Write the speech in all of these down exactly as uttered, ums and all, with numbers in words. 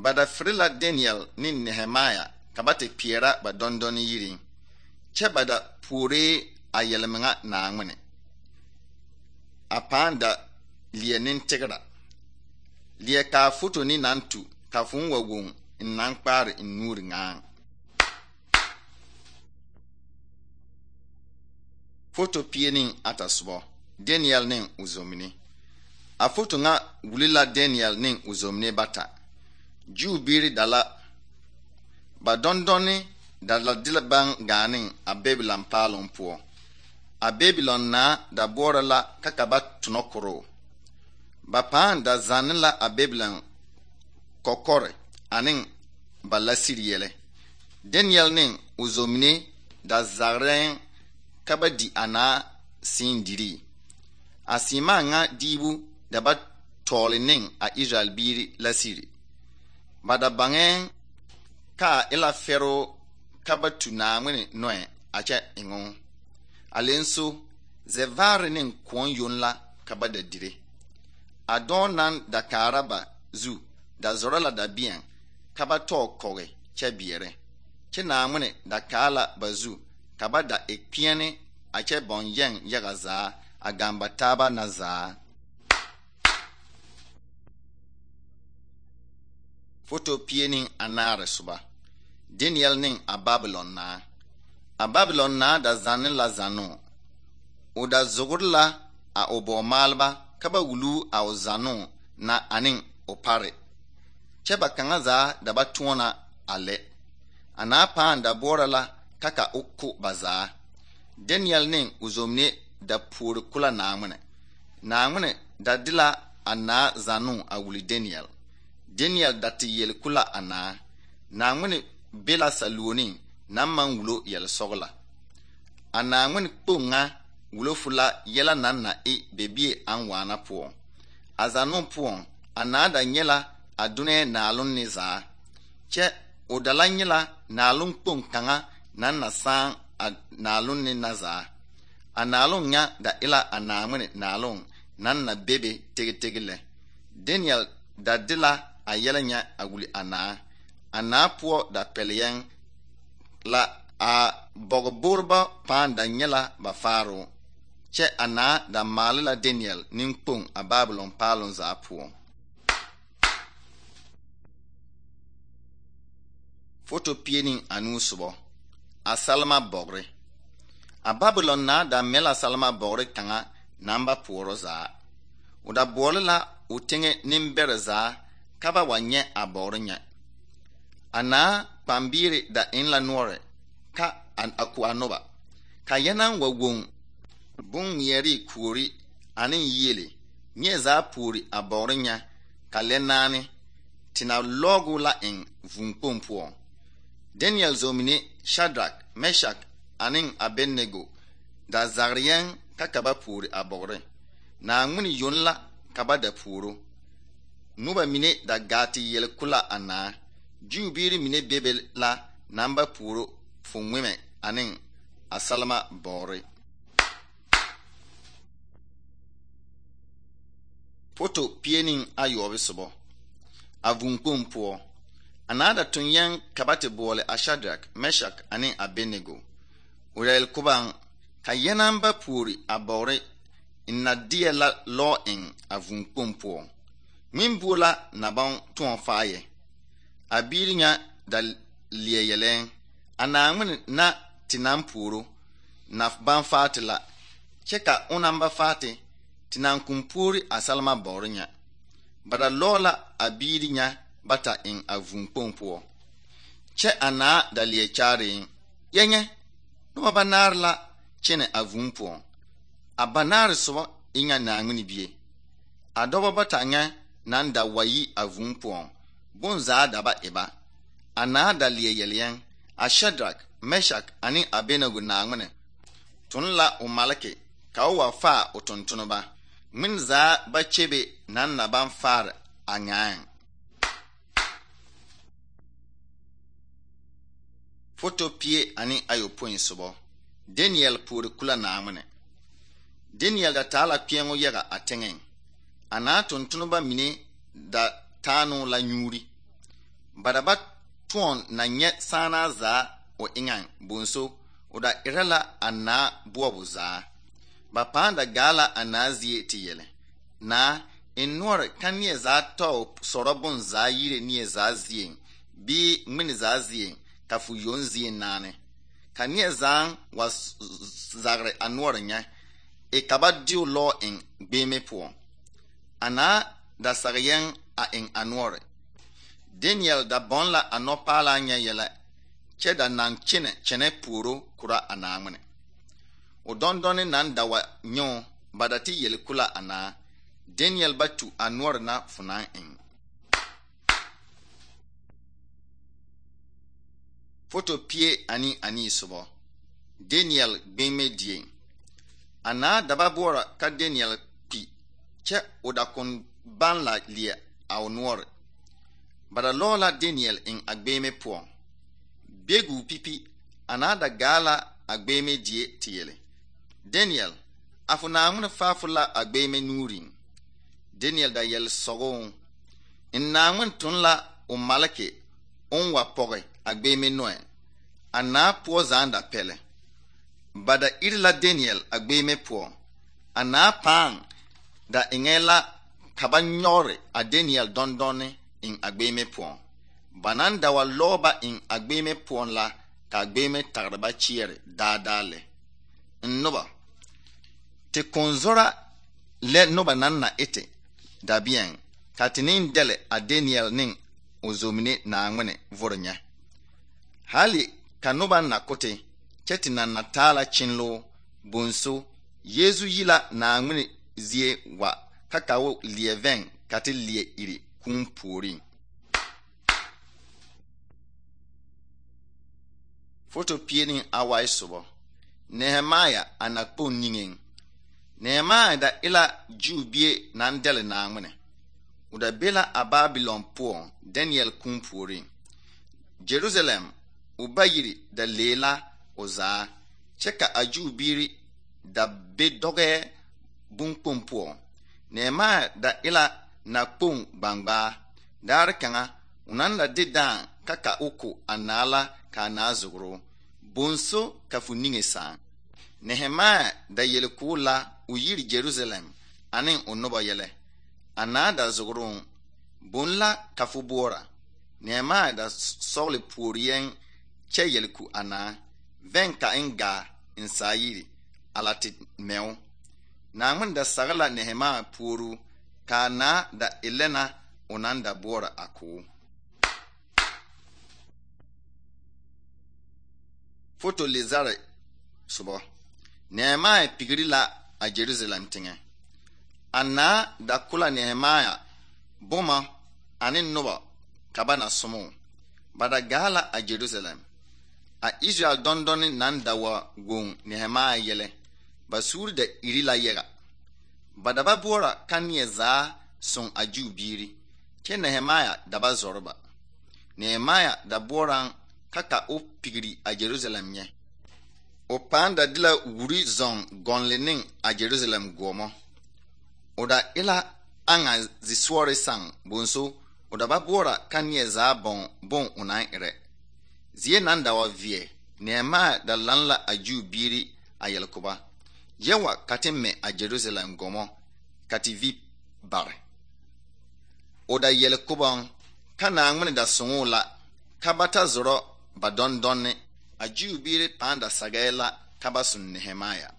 Bada frila Daniel ne Nehemiah ka ba te kpeɛra ba dɔndɔne yiri. Kyɛ bada puore a yɛlmeŋa Naawuni. A pãã da leɛ nintegra. Leɛ kaa foto ni naŋ tu ka fõõ wa woŋ n naŋ kpaare n nuuri ŋaaŋ. Foto pie ne ata sobɔ. Daniel ne o zomini. A foto ŋa wuli la Daniel ne o zomini bata. Juu biiri da la. Ba dɔndɔne da la de la baŋ gaane a Babylon paaloŋ poɔ. A Babylon naa da boɔrɔ la ka ka ba tonɔ koroo. Ba pãã da zanne la a Babylon kɔkɔre ane ba lasiri yɛlɛ. Daniel ne o zomini da zagrɛɛŋ ka ba di a naa siin dirii. A siimaa ŋa diibu da ba tɔɔle ne a Israel biiri lasiri. Ba da baŋɛɛŋ ka a e la fɛroo ka ba tu Naawuni nɔɛ a kyɛ eŋoo. A lenso, zɛvaare ne kõɔ yoŋ la ka ba da dire. A dɔɔ naŋ da kaara ba zu da zɔrɔ la dabeɛŋ ka ba tɔɔ kɔge kyɛ beɛrɛ. Kyɛ Naawuni da kaa la ba zu ka ba da e kpeɛne a kyɛ bɔŋ yɛŋ yaga zaa a gaŋ ba taaba na zaa. Foto pie ne anaare soba. Daniel ne a Babylon naa. A Babylon naa da zanne la zannoo. O da zogre la a o bɔɔmaaleba ka ba wuluu a o zannoo na ane o pare. Kyɛ ba kaŋa zaa da ba tõɔna a lɛ. A naa pãã da boɔrɔ la ka ka o ko ba zaa. Daniel ne o zomine da puori kula Naawuni. Naawuni da de la a naa zannoo a wuli Daniel. Daniel da te yel kula a naa. Naawuni be la saluoniŋ naŋ maŋ wulo yɛlsɔgla. A Naawuni kpoŋ ŋa wulo fu la yɛla naŋ na e bebie aŋ waana poɔ. A zannoo poɔŋ, a naa da nyɛ la a donɛɛ naaloŋ ne zaa. Kyɛ o da la nyɛ la naaloŋ kpoŋ kaŋa naŋ na sãã a naaloŋ ne na zaa. A naaloŋ ŋa da e la a Naawuni naaloŋ naŋ na bebe tegetege lɛ. Daniel da de la a yɛlɛ nyɛ a wuli a naa. A naa poɔ da pɛleyɛŋ la a bɔgebooreba pãã da nyɛ la ba faaroo. Kyɛ a naa da maale la Daniel nenkpoŋ a Babylon paaloŋ zaa poɔ. Foto pie ne anuu sobɔ. A salma bɔgre. A Babylon naa da mɛ la salma bɔgre kaŋa naŋ ba poɔrɔ zaa. O da boɔle la o teŋɛ nembɛrɛ zaa ka ba wa nyɛ a bɔgre nyɛ. A naa kpambiiri da eŋ la noɔre ka a ko a noba. Ka yɛnaŋ wa woŋ bon-ŋmeɛre kuori ane yiele nyɛ zaa puori a bɔgre nyɛ ka lɛ naane te na lɔɔgo la eŋ vūūkpoŋ poɔ. Daniel zomine Shadrach, Meshach ane Abednego da zagre yɛŋ ka ka ba puori a bɔgre. Naawuni yoŋ la ka ba da puoro. Noba mine da gaa te yɛl kula a naa. Juu biiri mine bebe la naŋ ba puoro fo ŋmemɛ ane a salma bɔgre. Foto pie ne ayɔɔbe sobɔ. A vūūkpoŋ poɔ. A naa da toŋ yɛŋ ka ba te boɔle a Shadrach, Meshach ane Abednego. O yɛl kobaŋ ka yɛnaŋ ba puori a bɔgre n na deɛ la lɔɔ eŋ a vūūkpoŋ poɔ. Ŋmembuo la na baŋ tõɔ faayɛ. A biiri nya da leɛ yɛlɛɛŋ. A Naawuni na te naŋ puoro na baŋ faate la. Kyɛ ka o naŋ ba faate te naŋ kõn puori a salma bɔgre nya. Ba da lɔɔ la a biiri nya bata eŋ a vūūkpoŋ poɔ. Kyɛ a naa da leɛ kyaareeŋ. Yɛnyɛ, noba banaare la kyɛnɛ a vūū poɔŋ. A banaare sobɔ e nya Naawuni bie. A dɔbɔ bata nya naŋ da wa yi a vūū poɔŋ. Bonzaa da ba e ba. A naa da leɛ yɛlɛɛŋ. A Shadrach, Meshach ane Abednego Naawuni tun la o maleke ka o wa faa o tontoneba. Ŋmen zaa ba kyebe naŋ na baŋ faare a nyaaŋ. Foto pie ane ayopõi sobɔ. Daniel puori kula Naawuni. Daniel da taa la kpeɛŋo yaga a teŋeŋ. A naa tontoneba mine da taanoo la nyuuri. Bada ba tõon na nyɛ sãana zaa o eŋaŋ bonso o da erɛ la a naa boɔbo zaa. Ba pãã da gaa la a naa zie te yɛlɛ: naa, en noɔre ka neɛ zaa tɔo sɔrɔ bon zaa yire neɛ zaa zieŋ bii ŋmene zaa zieŋ ka fo yoŋ zie naane. Ka neɛ zaaŋ wa zagre a noɔre nyɛ e ka ba deo lɔɔ eŋ gbeeme poɔ. A naa da sag yɛŋ a eŋ a noɔre. Daniel da bɔn la a nɔpaalaa nyɛ yɛlɛ kyɛ da naŋ kyene kyɛnɛ puoro kura a Naawuni. O dɔndɔne naŋ da wa nyɔɔ ba da te yele kula a naa. Daniel ba tu a noɔre na fo naŋ eŋ. Foto pie ani ani sobɔ. Daniel gbeeme die. A naa da ba boɔra ka Daniel kpi kyɛ o da kon ban la leɛ a o noɔre. Ba da lɔɔ la Daniel eŋ a gbeeme poɔ. Begu pipi a naa da gaa la a gbeeme die te yele: Daniel, a fo Naawuni faafo la a gbeeme nuuriŋ. Daniel da yɛle sɔgɔŋ: n Naawuni tun la o maleke on wa pɔge a gbeeme noɛ. A naa poɔ zaaŋ da pɛlɛ. Ba da iri la Daniel a gbeeme poɔ. A naa pãã da eŋɛ la ka ba nyɔgre a Daniel dɔndɔne eŋ a gbeeme poɔ. Ba naŋ da wa lɔɔ ba eŋ a gbeeme poɔ la ka a gbeeme tagre ba kyeɛre daadaa lɛ. N noba, te konzora lɛ noba naŋ na ete dabiɛŋ ka te neŋ dɛle a Daniel neŋ o zomine Naawuni vore nyɛ. Hali ka noba na kote kyɛ te naŋ na taa la kyenloo bonso Yeesu yi la Naawuni zie wa ka ka o leɛ vɛŋ ka te leɛ iri kũũ puoriŋ. Foto pie ne awai sobɔ. Nehemaya a nakpon niŋeŋ. Nehemaya da ila Juu bie naŋ dɛle Naawuni. O da be la a Babylon poɔŋ Daniel kũũ puoriŋ. Jerusalem o ba yiri da lee la o zaa kyɛ ka a Juu biiri da be dɔgɛɛ bonkpoŋ poɔ. Nehemaya da ila nakpon gbangbaa. Daare kaŋa o naŋ da de daaŋ ka ka o ko a naa la ka a naa zogro bonso ka fo niŋe saaŋ. Nehemaya da yele koo la o yiri Jerusalem ane o noba yɛlɛ. A naa da zogroŋ bon la ka fo boɔra. Nehemaya da sɔgle puori yɛŋ kyɛ yele ku a naa vɛŋ ka en gaa en saa yiri ala te mɛo. Naawuni da sage la Nehemaya puoru ka a naa da elɛna o naŋ da boɔra a koo. Foto lezare sobɔ. Nehemaya pigri la a Jerusalem teŋɛ. A naa da kula Nehemaya boma ane noba ka ba na somo. Ba da gaa la a Jerusalem. A Israel dɔndɔne naŋ da wa goŋ Nehemaya yɛlɛ. Ba suuri da iri la yɛga. Ba da ba boɔra ka neɛ zaa soŋ a Juu biiri kyɛ Nehemaya da ba zɔre ba. Nehemaya da boɔraŋ ka ka o pigri a Jerusalem nyɛ. O pãã da de la wuri zɔŋ gɔnle neŋ a Jerusalem goɔmɔ. O da ila aŋa zisɔɔre saŋ bonso o da ba boɔra ka neɛ zaa bɔŋ bon o naŋ erɛ. Zie naŋ da wa veɛ, Nehemaya da lan la a Juu biiri a yɛlkoba. Yɛwa ka te mɛ a Jerusalem gɔmɔ ka te vi bare. O da yɛlkobɔŋ ka Naawuni da soŋoo la ka ba ta zɔrɔ ba dɔndɔne. A Juu biiri pãã da sagɛɛ la ka ba soŋ Nehemaya.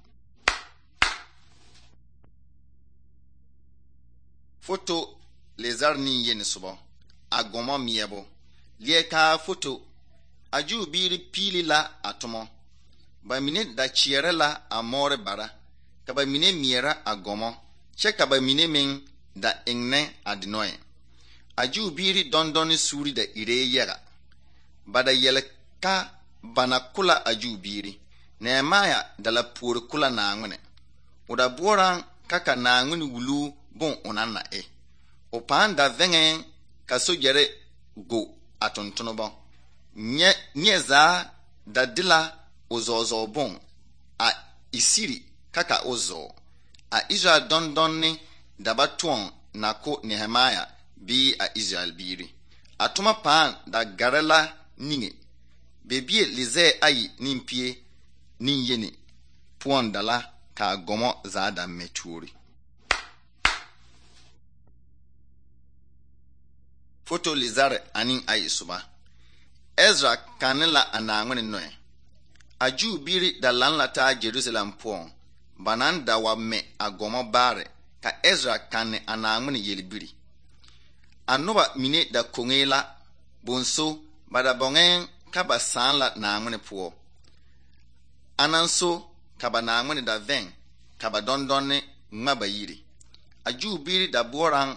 Foto lezar nin yeni sobɔ. A gɔmɔ meɛbo. Leɛ kaa foto. A Juu biiri piili la a tomɔ. Ba mine da kyeɛrɛ la a mɔɔre bara. Ka ba mine meɛrɛ a gɔmɔ kyɛ ka ba mine meŋ da eŋnɛ a denɔɛ. A Juu biiri dɔndɔne suuri da iree yɛga. Ba da yɛlɛ ka ba na kula a Juu biiri. Nehemaya da la puori kula Naawuni. O da boɔraŋ ka ka Naawuni wuluu bon o naŋ na e. O pãã da vɛŋɛɛ ka sogyɛre go a tontonobɔ. Nyɛ neɛ zaa da de la o zɔɔzɔɔ bon a isiri ka ka o zɔɔ. A Israel dɔndɔne da ba tõɔŋ na ko Nehemaya bii a Israel biiri. A toma pãã da gare la niŋe. Bebie lizɛɛ ayi ne pie ne yeni poɔŋ da la ka a gɔmɔ zaa da mɛ tuori. Foto lizare ane ayi soba. Ezra kanne la a Naaŋmene nɔɛ. A Juu biiri da laŋ la taa Jerusalem poɔŋ. Ba naŋ da wa mɛ a gɔmɔ baare ka Ezra kanne a Naaŋmene yelbiri. A noba mine da koŋee la bonso ba da bɔŋɛɛŋ ka ba sãã la Naaŋmene poɔ. Anaŋ so ka ba Naaŋmene da vɛŋ ka ba dɔndɔnne ŋma ba yiri. A Juu biiri da boɔraŋ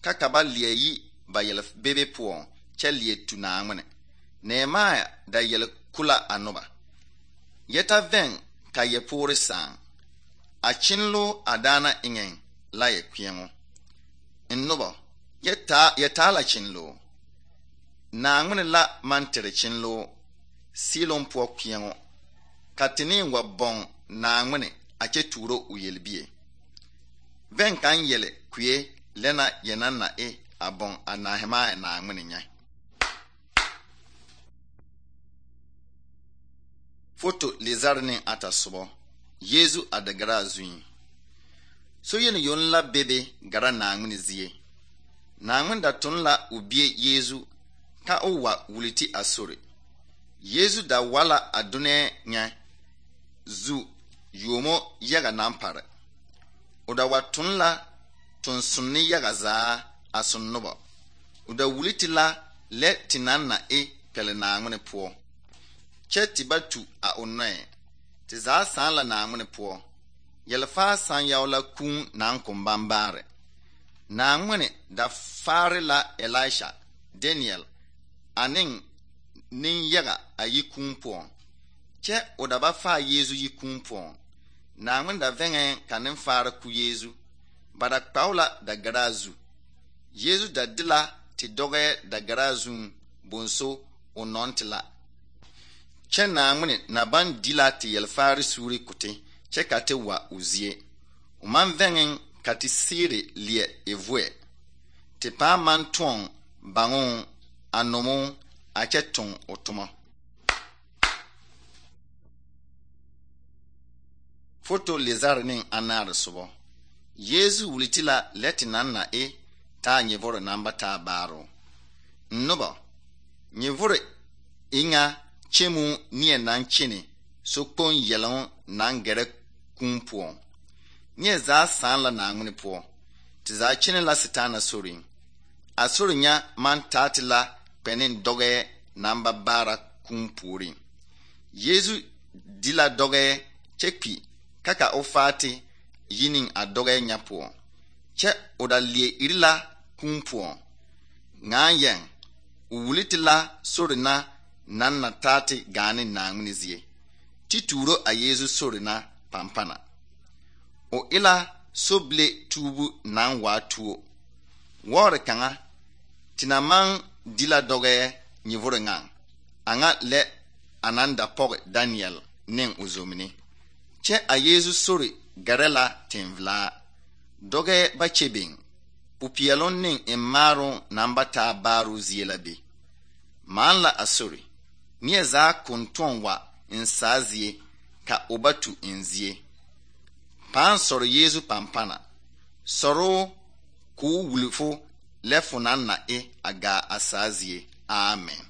ka ka ba leɛ yi ba yɛl bebe poɔŋ kyɛ leɛ tu Naaŋmene. Nehemia da yɛl kula a noba. Yɛta vɛŋ ka yɛpoore sãã. A kyenloo a daana eŋɛŋ la yɛ kpeɛŋo. N noba, yɛ taa yɛ taa la kyenloo. Naaŋmene la maŋ tere kyenloo Siloŋ poɔ kpeɛŋo. Ka tenee wa bɔŋ Naaŋmene a kyɛ tuuro o yelbie. Vɛŋ kaŋ yɛlɛ kue lɛ na yɛ naŋ na e a bɔŋ a Nehemia Naaŋmene nyɛ. Foto lizare ne ata sobɔ. Yeezu a da gara a zuiŋ. So yeni yoŋ la bebe gara Naaŋmene zie. Naaŋmene da tun la o bie Yeezu ka o wa wuliti a sore. Yeezu da wa la a dunɛɛ nyɛ zu yuomo yaga naŋ pare. O da wa tun la tonsunne yaga zaa a son noba. O da wuliti la lɛ te naŋ na e pɛle Naaŋmene poɔ. Kyɛ te ba tu a o nɔɛ. Te zaa sãã la Naaŋmene poɔ. Yɛlfaa sãn yao la kũũ naŋ kom bambaare. Naaŋmene da faare la Elisha, Daniel ane nenyaga a yi kũũ poɔŋ. Kyɛ o da ba faa Yeezu yi kũũ poɔŋ. Naaŋmene da vɛŋɛɛ ka nenfaara ku Yeezu. Ba da kpao la da garaa zu. Yeezu da de la te dɔgɛɛ da garaa zuŋ bonso o nɔŋ te la. Kyɛ Naaŋmene na baŋ di la te yɛlfaare suuri kote kyɛ ka te wa o zie. O maŋ vɛŋɛŋ ka te siire leɛ e voɛ. Te pãã maŋ tõɔŋ baŋoo a nomoo a kyɛ toŋ o toma. Foto lizare ne anaare sobɔ. Yeezu wuliti la lɛ te naŋ na e taa nyevore naŋ ba taa baaroo. Noba, nyevore e ŋa kyɛmu neɛ naŋ kyene sokpoŋ yɛloŋ naŋ gɛrɛ kũũ poɔŋ. Neɛ zaa sãã la Naaŋmene poɔ. Te zaa kyene la Setaana soriŋ. A sori nya maŋ taa te la kpɛneŋ dɔgɛɛ naŋ ba baara kũũ puoriŋ. Yeezu di la dɔgɛɛ kyɛ kpi ka ka o faa te yi ne a dɔgɛɛ nya poɔŋ. Kyɛ o da leɛ iri la kũũ poɔŋ. Ŋaa yɛŋ, o wuliti la sori na naŋ na taa te gaa ne Naaŋmene zie. Ti tuuro a Yeezu sori na pampana. O e la sobile tuubu naŋ waa tuo. Wɔɔre kaŋa, te na maŋ di la dɔgɛɛ nyevore ŋaŋ. A ŋa lɛ a naŋ da pɔge Daniel ne o zomine. Kyɛ a Yeezu sori gɛrɛ la tenvelaa. Dɔgɛɛ ba kyɛ beŋ. Popeɛloŋ ne emmaaroŋ naŋ ba taa baaroo zie la be. Maan la a sori. Neɛ zaa kontoŋ wa n saa zie ka o ba tu n zie. Pãã sɔre Yeezu pampana. Sɔroo k'o wuli fo lɛ fo naŋ na e a gaa a saa zie. Amen.